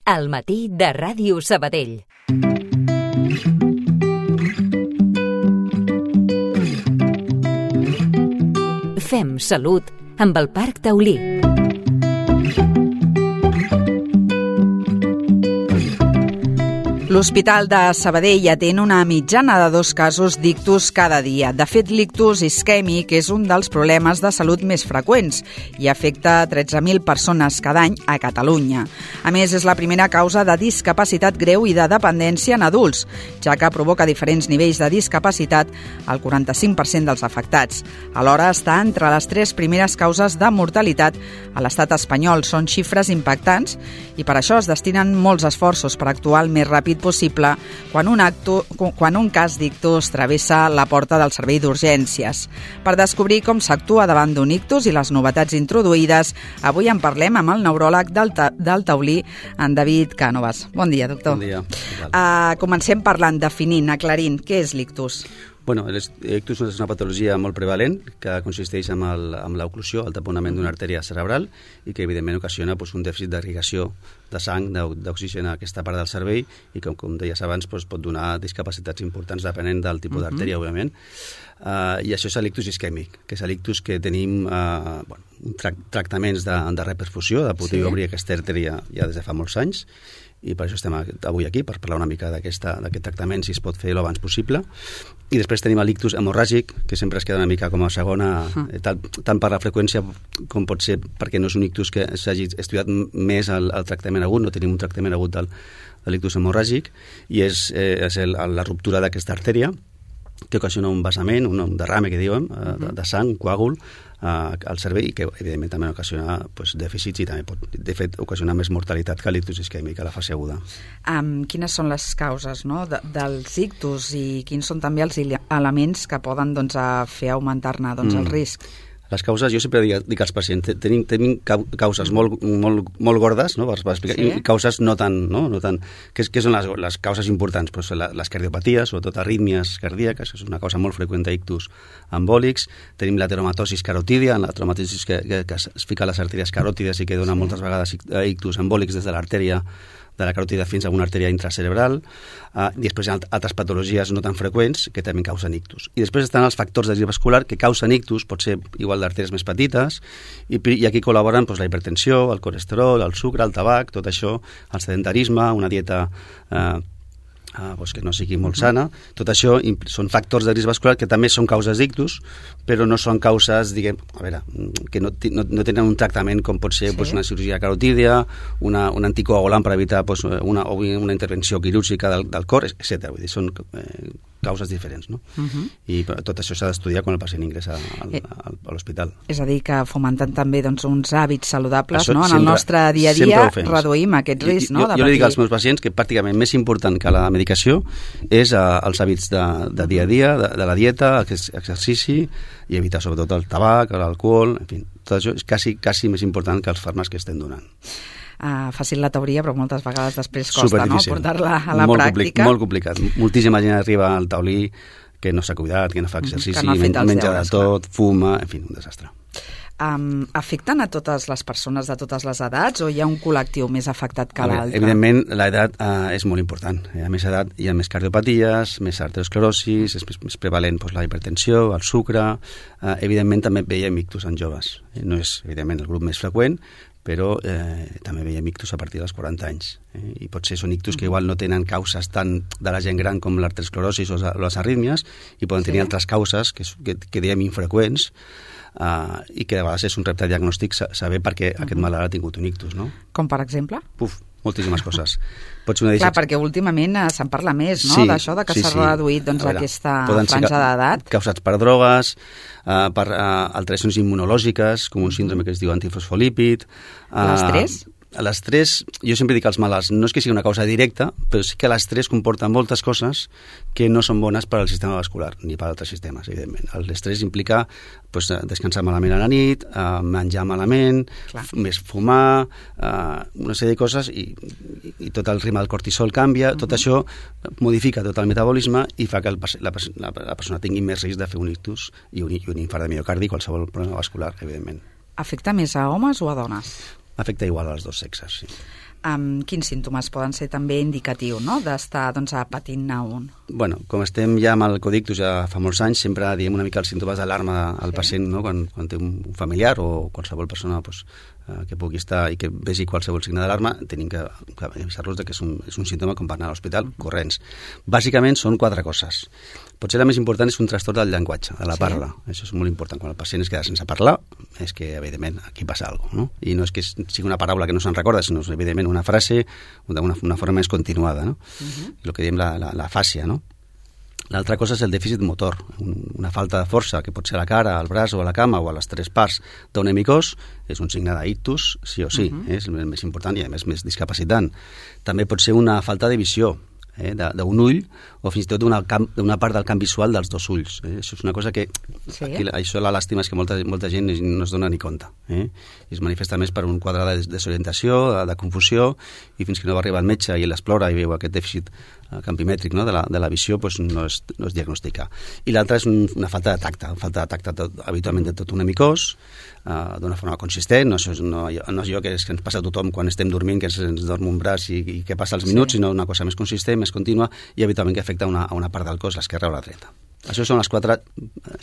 Al matí de Ràdio Sabadell. Fem salut amb el Parc Taulí. L'Hospital de Sabadell atén una mitjana de 2 casos d'ictus cada dia. De fet, l'ictus isquèmic és un dels problemes de salut més freqüents i afecta 13.000 persones cada any a Catalunya. A més, és la primera causa de discapacitat greu i de dependència en adults, ja que provoca diferents nivells de discapacitat al 45% dels afectats. Alhora, està entre les 3 primeres causes de mortalitat a l'estat espanyol. Són xifres impactants i per això es destinen molts esforços per actuar el més ràpid possible quan un cas d'ictus travessa la porta del servei d'urgències. Per descobrir com s'actua davant d'un ictus i les novetats introduïdes, avui en parlem amb el neuròleg del Taulí, en David Cànovas. Bon dia, doctor. Bon dia. Comencem parlant, definint, aclarint, què és l'ictus? Bueno, l'ictus és una patologia molt prevalent que consisteix en l'oclusió, el taponament d'una artèria cerebral i que evidentment ocasiona un dèficit d'irrigació de sang, d'oxigen a aquesta part del cervell i que, com deies abans, pot donar discapacitats importants depenent del tipus d'artèria, òbviament. I això és l'ictus isquèmic, que és l'ictus que tenim tractaments de reperfusió, de poder obrir aquesta artèria ja des de fa molts anys, i per això estem avui aquí, per parlar una mica d'aquest tractament, si es pot fer l'abans possible. I després tenim l'ictus hemorràgic, que sempre es queda una mica com a segona, tant per la freqüència com pot ser perquè no és un ictus que s'hagi estudiat més el tractament agut, no tenim un tractament agut de l'ictus hemorràgic, i és la ruptura d'aquesta artèria, que ocasiona un vessament, un derrame, que diuen, de sang, un coàgul, al cervell i que evidentment també ocasiona dèficits i també pot, de fet, ocasionar més mortalitat que l'ictus isquèmic a la fase aguda. Quines són les causes dels ictus i quins són també els elements que poden fer augmentar-ne el risc? Les causes, jo sempre dic als pacients, tenim causes molt gordes, no, per explicar, i causes no tan... Què són les causes importants? Les cardiopaties, sobretot arrítmies cardíaques, que és una causa molt freqüent d'ictus embòlics. Tenim la teromatosis carotídia, la teromatosis que es fica a les artèries caròtides i que dona moltes vegades ictus embòlics des de l'artèria de la caròtida fins a una artèria intracerebral, i després hi ha altres patologies no tan freqüents que també causen ictus. I després estan els factors de risc vascular que causen ictus, pot ser igual d'artèries més petites, i aquí col·laboren la hipertensió, el colesterol, el sucre, el tabac, tot això, el sedentarisme, una dieta que no sigui molt sana. Tot això són factors de risc vascular que també són causes d'ictus, però no són causes, que no tenen un tractament com pot ser una cirurgia carotídia, un anticoagulant per evitar una intervenció quirúrgica del cor, etc. Vull dir, són causes diferents, no? I tot això s'ha d'estudiar quan el pacient ingressa a l'hospital. És a dir, que fomentant també uns hàbits saludables en el nostre dia a dia reduïm aquest risc, no? Jo li dic als meus pacients que pràcticament més important que la medicació és els hàbits de dia a dia, de la dieta, exercici i evitar sobretot el tabac, l'alcohol, en fi, tot això és quasi més important que els fàrmacs que estem donant. Fàcil la teoria, però moltes vegades després costa, no?, portar-la a la pràctica. Molt complicat. Moltíssima gent arriba al Taulí que no s'ha cuidat, que no fa exercici, menja de tot, fuma, en fi, un desastre. Afecten a totes les persones de totes les edats o hi ha un col·lectiu més afectat que l'altre? Evidentment, l'edat és molt important. A més edat hi ha més cardiopaties, més arteriosclerosis, és més prevalent la hipertensió, el sucre. Evidentment, també veiem ictus en joves. No és, evidentment, el grup més freqüent, però també veiem ictus a partir dels 40 anys. I potser són ictus que igual no tenen causes tant de la gent gran com l'arteriosclerosis o les arrítmies i poden tenir altres causes que diem infreqüents, i que a vegades és un repte diagnòstic saber per què aquest malalt ha tingut un ictus, no? Com per exemple? Moltíssimes coses. Clar, perquè últimament se'n parla més, no?, d'això, que s'ha reduït aquesta franja d'edat. Causats per drogues, per alteracions immunològiques, com un síndrome que es diu antifosfolípid. L'estrès? L'estrès, jo sempre dic als malalts, no és que sigui una causa directa, però sí que l'estrès comporta moltes coses que no són bones per al sistema vascular, ni per altres sistemes, evidentment. L'estrès implica descansar malament a la nit, menjar malament, més fumar, una sèrie de coses, i tot el ritme del cortisol canvia, tot això modifica tot el metabolisme i fa que la persona tingui més risc de fer un ictus i un infart de miocardi, qualsevol problema vascular, evidentment. Afecta més a homes o a dones? Afecta igual als dos sexes, sí. Quins símptomes poden ser també indicatius, no?, d'estar patint-ne un? Bueno, com estem ja amb el codictus ja fa molts anys, sempre diem una mica els símptomes d'alarma al pacient, no?, quan té un familiar o qualsevol persona que pugui estar i que vegi qualsevol signe d'alarma, tenim que avisar-los que és un símptoma com per anar a l'hospital corrents. Bàsicament són 4 coses. Potser la més important és un trastorn del llenguatge, de la parla. Això és molt important. Quan el pacient es queda sense parlar, és que, evidentment, aquí passa alguna cosa, no? I no és que sigui una paraula que no se'n recorda, sinó, evidentment, una frase d'una forma més continuada, no? El que diem la fàcia, no? L'altra cosa és el dèficit motor, una falta de força, que pot ser a la cara, al braç o a la cama o a les 3 parts d'un hemicós, és un signe d'ictus, sí o sí, és el més important i, a més discapacitant. També pot ser una falta de visió, d'un ull o fins i tot d'una part del camp visual dels 2 ulls. Això és una cosa que aquí, això la làstima és que molta gent no es dona ni compte. I es manifesta més per un quadre de desorientació, de confusió, i fins que no va arribar el metge i l'explora i veu aquest dèficit campimètric, no?, de la visió, doncs no es diagnostica. I l'altra és una falta de tacte, habitualment de tot un hemicós, d'una forma consistent, no és allò que ens passa a tothom quan estem dormint, que ens dorm un braç i que passa els minuts, sinó una cosa més consistent, més contínua, i habitualment que afecta a una part del cos, l'esquerra o la dreta. Això són els 4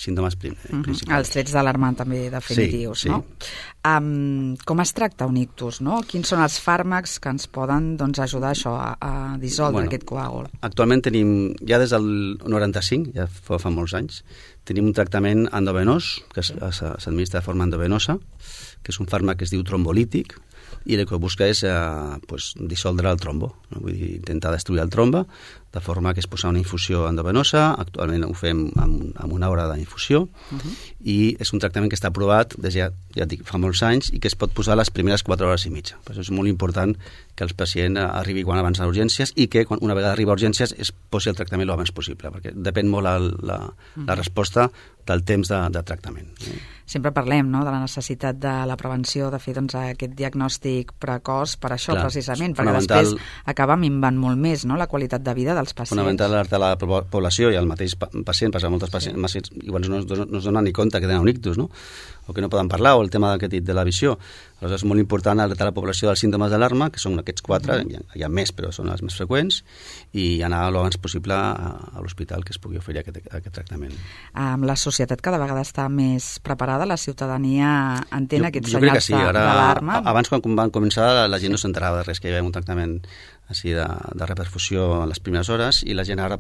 símptomes principals. Els trets d'alarma també definitius, sí. No? Com es tracta un ictus, no? Quins són els fàrmacs que ens poden ajudar això a dissoldre aquest coàgul? Actualment tenim, ja des del 95, ja fa molts anys, tenim un tractament endovenós, que s'administra de forma endovenosa, que és un fàrmac que es diu trombolític, i el que busca és dissoldre el trombo, no? Vull dir, intentar destruir el trombe, de forma que es posa una infusió endovenosa. Actualment ho fem amb 1 hora d'infusió, i és un tractament que està aprovat des ja dic, fa molts anys, i que es pot posar les primeres 4 hores i mitja. Per això és molt important que el pacient arribi quan abans a urgències i que una vegada arriba a urgències es posi el tractament l'abans possible, perquè depèn molt la resposta del temps de tractament. Sempre parlem, no?, de la necessitat de la prevenció, de fer aquest diagnòstic precoç per això, precisament, perquè després acaba minvant molt més, no?, la qualitat de vida dels pacients. Fonamental alertar la població i el mateix pacient, passa a molts pacients, igual no es donen ni compte que tenen un ictus, no?, o que no poden parlar, o el tema que he dit de la visió. Aleshores és molt important alertar la població dels símptomes d'alarma, que són aquests 4, hi ha més, però són els més freqüents, i anar l'abans possible a l'hospital que es pugui oferir aquest tractament. La societat cada vegada està més preparada, la ciutadania entén aquests senyals d'alarma? Abans, quan van començar, la gent no s'enterava de res, que hi havia un tractament així de reperfusió en les primeres hores, i la gent ara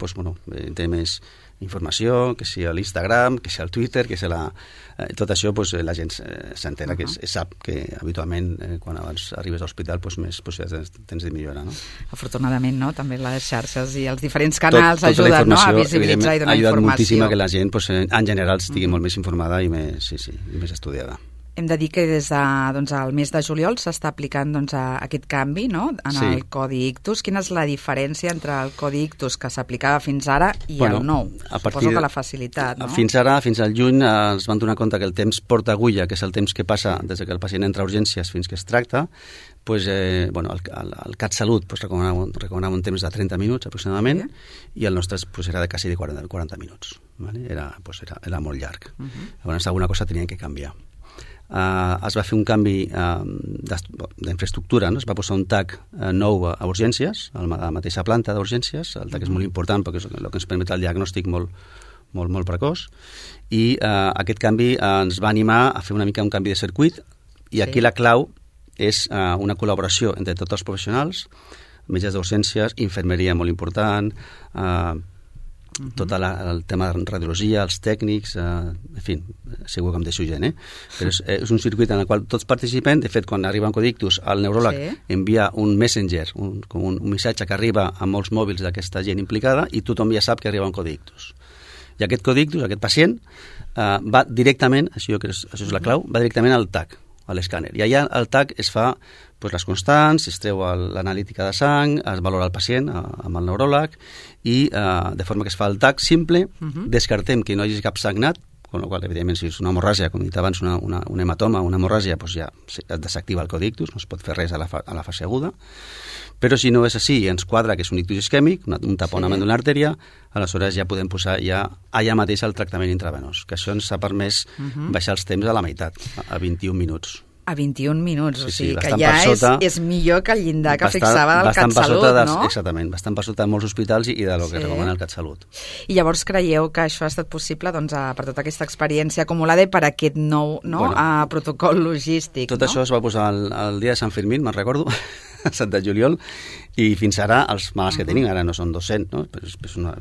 té més informació, que sigui a l'Instagram, que sigui al Twitter, que sigui tot això, la gent s'entera, que sap que habitualment quan abans arribes a l'hospital més possibilitats tens de millorar, no? Afortunadament, no? També les xarxes i els diferents canals ajuden, no?, a visibilitzar i donar informació. Ha ajudat moltíssim que la gent, en general, estigui molt més informada i més estudiada. Hem de dir que des del mes de juliol s'està aplicant aquest canvi, no?, en el Codi Ictus. Quina és la diferència entre el Codi Ictus que s'aplicava fins ara i el nou? Suposo que la facilitat, no? Fins ara, fins al juny, es van donar compte que el temps porta agulla, que és el temps que passa des que el pacient entra a urgències fins que es tracta, el CatSalut recomanava un temps de 30 minuts aproximadament, i el nostre era de quasi de 40 minuts. Era molt llarg. Llavors alguna cosa tenien que canviar. Es va fer un canvi d'infraestructura, no? Es va posar un TAC nou a urgències, a la mateixa planta d'urgències. El TAC és molt important perquè és el que ens permet el diagnòstic molt precoç, i aquest canvi ens va animar a fer una mica un canvi de circuit, i aquí la clau és una col·laboració entre tots els professionals, metges d'urgències, infermeria molt important, tot el tema de radiologia, els tècnics, en fi, segur que em deixo gent, però és un circuit en el qual tots participem. De fet, quan arriba un Codi Ictus, el neuròleg envia un messenger, un missatge que arriba a molts mòbils d'aquesta gent implicada, i tothom ja sap que arriba un Codi Ictus. I aquest Codi Ictus, aquest pacient, va directament, això és la clau, va directament al TAC, a l'escàner. I allà al TAC es fa les constants, es treu l'analítica de sang, es valora el pacient amb el neuròleg, i de forma que es fa el TAC simple, descartem que no hi hagi cap sagnat, amb la qual cosa, evidentment, si és una hemorràgia, com he dit abans, un hematoma, una hemorràgia, ja es desactiva el Codi Ictus, no es pot fer res a la fase aguda. Però si no és així i ens quadra que és un ictus isquèmic, un taponament d'una artèria, aleshores ja podem posar allà mateix el tractament intravenós, que això ens ha permès baixar els temps a la meitat, a 21 minuts. A 21 minuts, o sigui que bastant ja per sota, és millor que el llindar que fixava el CatSalut, no? Exactament, bastant per sota de molts hospitals i del que recomana el CatSalut. I llavors creieu que això ha estat possible per tota aquesta experiència acumulada i per aquest nou protocol logístic, Tot això es va posar el dia de Sant Fermín, me'n recordo, a Sant de juliol, i fins ara els malalts que tenim, ara no són 200, no?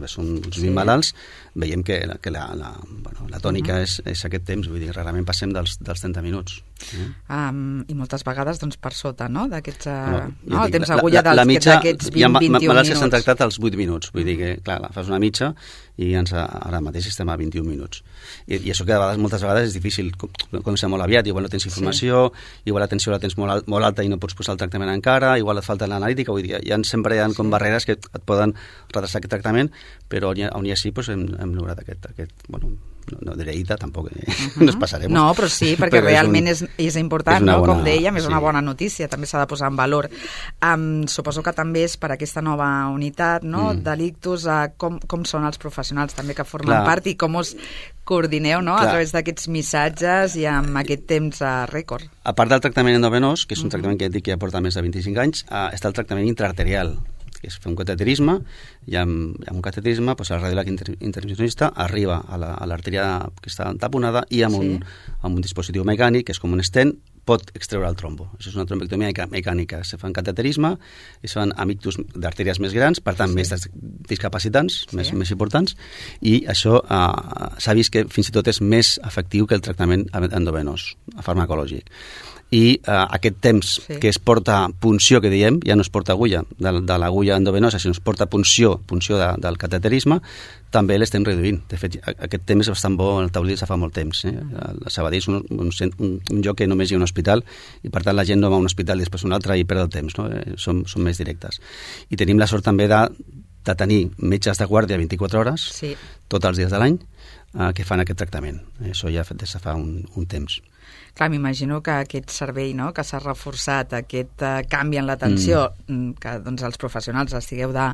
Són uns 20 malalts, veiem que la tònica és aquest temps, vull dir, rarament passem dels 30 minuts. I moltes vegades per sota, no?, d'aquests... el temps agulla d'aquests 20-21 minuts. Hi ha malalts que s'han tractat als 8 minuts, vull dir que, clar, fas una mitja i ara mateix estem a 21 minuts. I això que moltes vegades és difícil, comença molt aviat, igual no tens informació, igual l'atenció la tens molt alta i no pots posar el tractament encara, igual et falta l'analítica, vull dir, sempre hi ha com barreres que et poden retrasar aquest tractament, però on hi ha sí hem lograt aquest no diré ita, tampoc no es passarem. No, però sí, perquè realment és important, no? Com dèiem, és una bona notícia, també s'ha de posar en valor. Suposo que també és per aquesta nova unitat, no?, de l'ictus, com són els professionals també que formen part i com us coordineu, no?, a través d'aquests missatges i amb aquest temps rècord. A part del tractament endovenós, que és un tractament que ja porta més de 25 anys, està el tractament intraarterial, que és fer un cateterisme, i amb un cateterisme el radiòleg intervencionista arriba a l'artèria que està taponada i amb un dispositiu mecànic, que és com un stent, pot extreure el trombo. Això és una trombectomia mecànica. Se fa un cateterisme i se fan amb ictus d'artèries més grans, per tant, més discapacitants, més importants, i això s'ha vist que fins i tot és més efectiu que el tractament endovenós, farmacològic. I aquest temps que es porta punció, que diem, ja no es porta agulla de l'agulla endovenosa, sinó es porta punció del cateterisme, també l'estem reduint. De fet, aquest temps és bastant bo al taulí, fa molt temps. A Sabadell és un lloc que només hi ha un hospital i per tant la gent no va a un hospital i després un altre i perd el temps, no? Som més directes. I tenim la sort també de tenir metges de guàrdia 24 hores, tots els dies de l'any, que fan aquest tractament. Això ja des de fa un temps. Clar, m'imagino que aquest servei, no?, que s'ha reforçat, aquest canvi en l'atenció, que els professionals estigueu de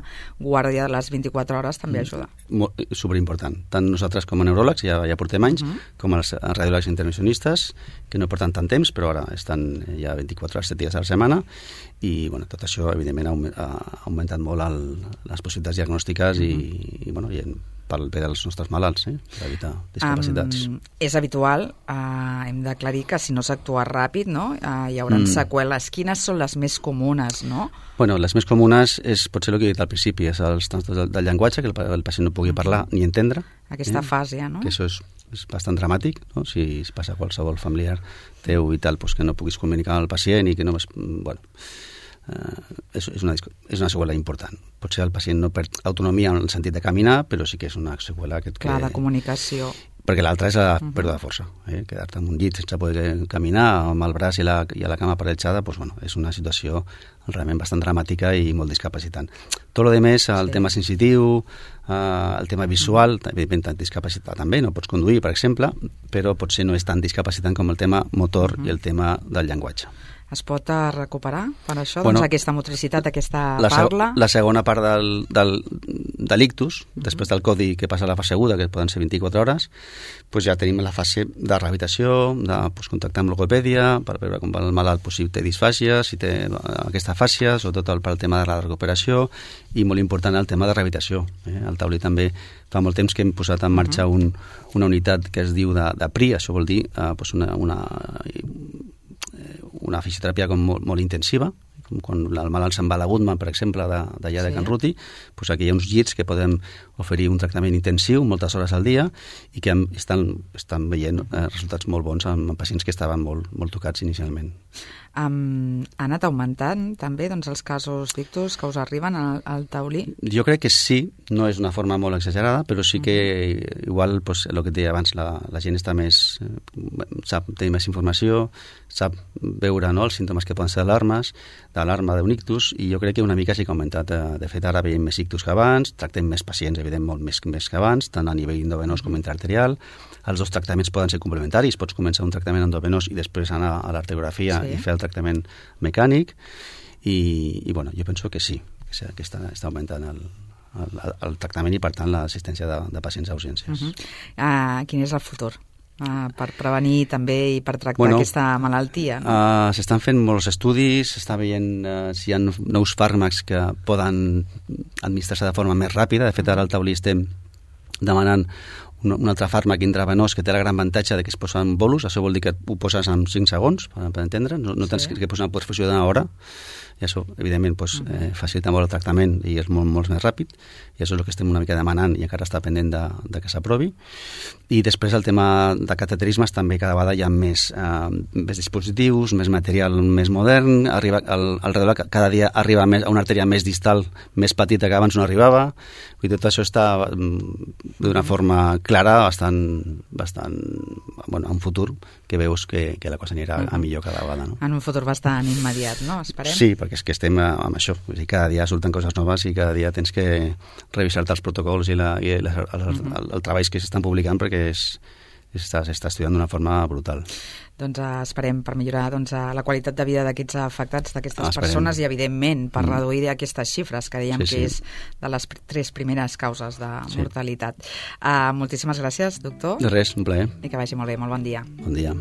guàrdia de les 24 hores, també ajuda. Superimportant. Tant nosaltres com a neuròlegs, ja portem anys, com els radiòlegs intervencionistes, que no porten tant temps, però ara estan ja 24 hores, 7 dies a la setmana, i tot això, evidentment, ha augmentat molt les possibilitats diagnòstiques i pel bé dels nostres malalts, per evitar discapacitats. És habitual, hem d'aclarir que si no s'actua ràpid, no?, hi haurà seqüeles. Quines són les més comunes, no? Bueno, les més comunes és potser el que he dit al principi, és els trastorns del llenguatge, que el pacient no pugui parlar ni entendre. Aquesta fase, no? Que això és bastant dramàtic, no? Si passa qualsevol familiar teu i tal, que no puguis comunicar amb el pacient i que no... és una seqüela important. Potser el pacient no perd autonomia en el sentit de caminar, però sí que és una seqüela de comunicació. Perquè l'altra és la pèrdua de força. Quedar-te en un llit sense poder caminar, amb el braç i la cama paralitzada, és una situació realment bastant dramàtica i molt discapacitant. Tot el més, el tema sensitiu, el tema visual, evidentment discapacitat també, no pots conduir, per exemple, però potser no és tan discapacitant com el tema motor i el tema del llenguatge. Es pot recuperar per això? Aquesta motricitat, aquesta parla? La segona part de l'ictus, després del codi que passa a la fase aguda, que poden ser 24 hores, ja tenim la fase de rehabilitació, de contactar amb logopèdia, per veure com va el malalt, si té disfàsia, si té aquesta fàscia, sobretot pel tema de la recuperació, i molt important el tema de rehabilitació. Al taulí també fa molt temps que hem posat en marxa una unitat que es diu de PRI, això vol dir una fisioteràpia molt intensiva, com quan el malalt se'n va a la Goodman, per exemple, d'allà de Can Ruti, aquí hi ha uns llits que podem oferir un tractament intensiu moltes hores al dia i que estan veient resultats molt bons amb pacients que estaven molt tocats inicialment. Ha anat augmentant també els casos d'ictus que us arriben al taulí? Jo crec que sí, no és una forma molt exagerada, però sí que igual, el que et deia abans, la gent està més, sap tenir més informació, sap veure els símptomes que poden ser d'alarma d'un ictus, i jo crec que una mica sí que ha augmentat. De fet, ara veiem més ictus que abans, tractem més pacients, evident, molt més que abans, tant a nivell endovenós com intraarterial. Els dos tractaments poden ser complementaris, pots començar un tractament endovenós i després anar a l'arteriografia i fer el tractament mecànic, i jo penso que sí, que està augmentant el tractament i per tant l'assistència de pacients a urgències. Quin és el futur? per prevenir també i per tractar aquesta malaltia? No? S'estan fent molts estudis, s'està veient si hi ha nous fàrmacs que poden administrar-se de forma més ràpida. De fet, ara al taulí estem demanant un altre fàrmac intravenós que té el gran avantatge de que es posa en bolus. Això vol dir que ho poses en 5 segons, per entendre, no tens que posar una perfusió d'una hora, i això, evidentment, facilita molt el tractament i és molt més ràpid, i això és el que estem una mica demanant i encara està pendent de que s'aprovi. I després el tema de cateterismes també cada vegada hi ha més dispositius, més material més modern, cada dia arriba a una artèria més distal, més petita que abans no arribava, i tot això està d'una forma clara, bastant en un futur que veus que la cosa anirà a millor cada vegada. No? En un futur bastant immediat, no? Esperem. Sí, perquè és que estem amb això. Cada dia surten coses noves i cada dia tens que revisar-te els protocols i els treballs que s'estan publicant perquè s'està estudiant d'una forma brutal. Doncs esperem per millorar la qualitat de vida d'aquests afectats, d'aquestes persones i, evidentment, per reduir aquestes xifres que dèiem que és de les 3 primeres causes de mortalitat. Moltíssimes gràcies, doctor. De res, un plaer. I que vagi molt bé. Molt bon dia. Bon dia.